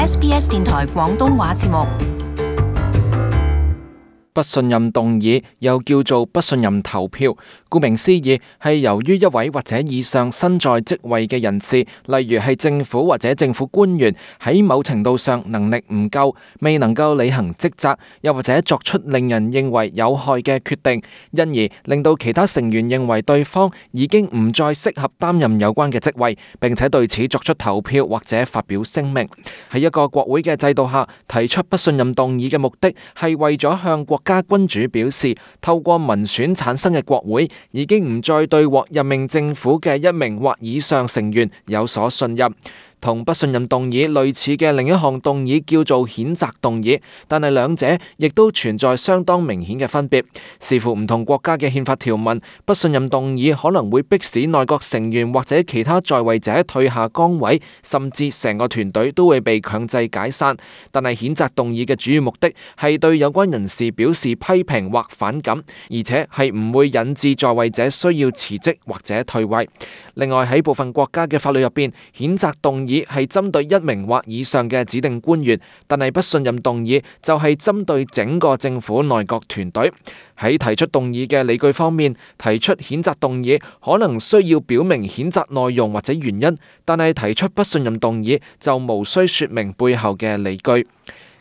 SBS 電台廣東話節目。不信任動議又叫做不信任投票，顧名思義係由於一位或者以上身在職位嘅人士，例如係政府或者政府官員，喺某程度上能力唔夠，未能夠履行職責，又或者作出令人認為有害嘅決定，因而令到其他成員認為對方已經唔再適合擔任有關嘅職位，並且對此作出投票或者發表聲明。喺一個國會嘅制度下，提出不信任動議嘅目的係為咗向國家君主表示，透過民選產生嘅國會已經唔再對獲任命政府嘅一名或以上成員有所信任。同不信任動議類似嘅另一項動議叫做譴責動議，但係兩者亦都存在相當明顯嘅分別。視乎唔同國家嘅憲法條文，不信任動議可能會迫使內閣成員或者其他在位者退下崗位，甚至成個團隊都會被強制解散。但係譴責動議嘅主要目的係對有關人士表示批評或反感，而且係唔會引致在位者需要辭職或者退位。另外喺部分國家嘅法律入邊，譴責動議係針對一名或以上嘅指定官員，但係不信任動議就係針對整個政府內閣團隊。喺提出動議嘅理據方面，提出譴責動議可能需要表明譴責內容或者原因，但係提出不信任動議就無需說明背後嘅理據。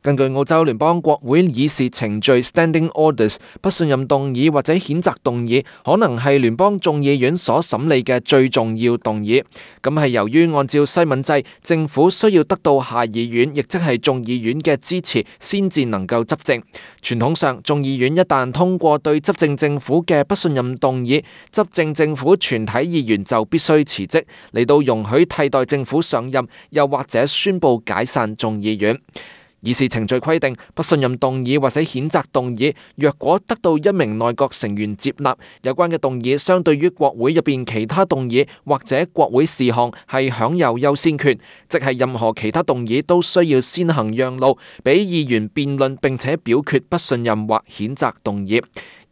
根據澳洲聯邦國會議事程序 Standing Orders， 不信任動議或者譴責動議可能係聯邦眾議院所審理嘅最重要動議。咁係由於按照西敏制，政府需要得到下議院，亦即係眾議院嘅支持，先至能夠執政。傳統上，眾議院一旦通過對執政政府嘅不信任動議，執政政府全體議員就必須辭職，嚟到容許替代政府上任，又或者宣布解散眾議院。議事程序規定，不信任動議或者譴責動議，若果得到一名內閣成員接納，有關嘅動議相對於國會入邊其他動議或者國會事項係享有優先權，即係任何其他動議都需要先行讓路，俾議員辯論並且表決不信任或譴責動議。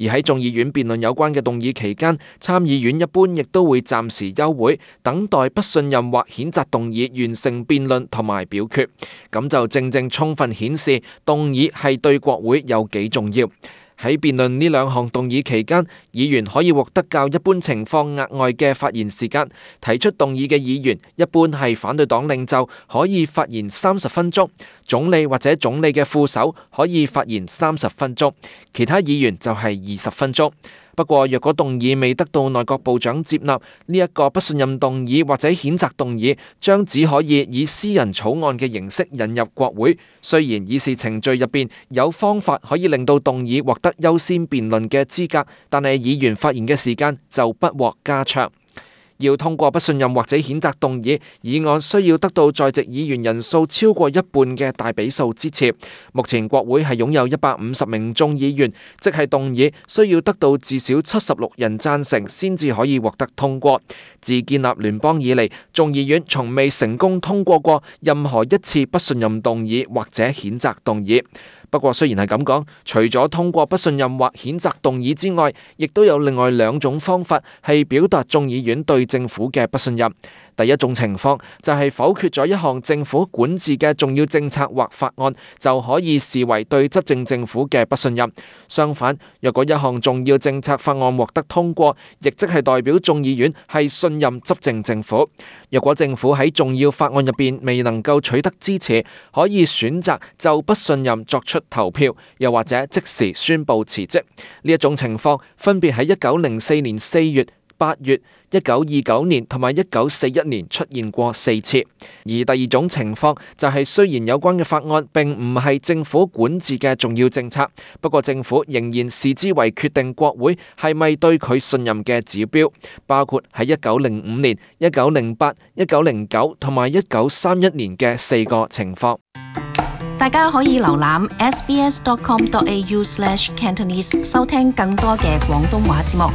而喺眾議院辯論有關嘅動議期間，參議院一般亦都會暫時休會，等待不信任或譴責動議完成辯論同埋表決。咁就正正充分顯示動議係對國會有幾重要。喺辯論呢兩項動議期間，議員可以獲得較一般情況額外嘅發言時間。提出動議嘅議員一般係反對黨領袖，可以發言30分鐘；總理或者總理嘅副手可以發言30分鐘，其他議員就係20分鐘。不過，若果動議未得到內閣部長接納，呢一個不信任動議或者譴責動議將只可以以私人草案嘅形式引入國會。雖然議事程序入邊有方法可以令到動議獲得優先辯論嘅資格，但係議員發言嘅時間就不獲加長。要通過不信任或者譴責動議，議案需要得到在席議員人數超過一半嘅大比數支持。目前國會係擁有150名眾議員，即係動議需要得到至少76人贊成先至可以獲得通過。自建立聯邦以嚟，眾議院從未成功通過過任何一次不信任動議或者譴責動議。不過雖然係咁講，除咗通過不信任或譴責動議之外，亦都有另外兩種方法係表達眾議院對政府嘅不信任。第一種情況就係否決咗一項政府管治嘅重要政策或法案，就可以視為對執政政府嘅不信任。相反，若果一項重要政策法案獲得通過，亦即係代表眾議院係信任執政政府。若果政府喺重要法案入邊未能夠取得支持，可以選擇就不信任作出投票，又或者即時宣布辭職。呢一種情況分別喺1904年4月、8月、1929年同埋1941年出現過4次。而第二種情況就係雖然有關嘅法案並唔係政府管治嘅重要政策，不過政府仍然視之為決定國會係咪對佢信任嘅指標，包括喺1905年、1908、1909同埋1931年嘅4個情況。大家可以瀏覽 sbs.com.au/cantonese 收聽更多嘅廣東話節目。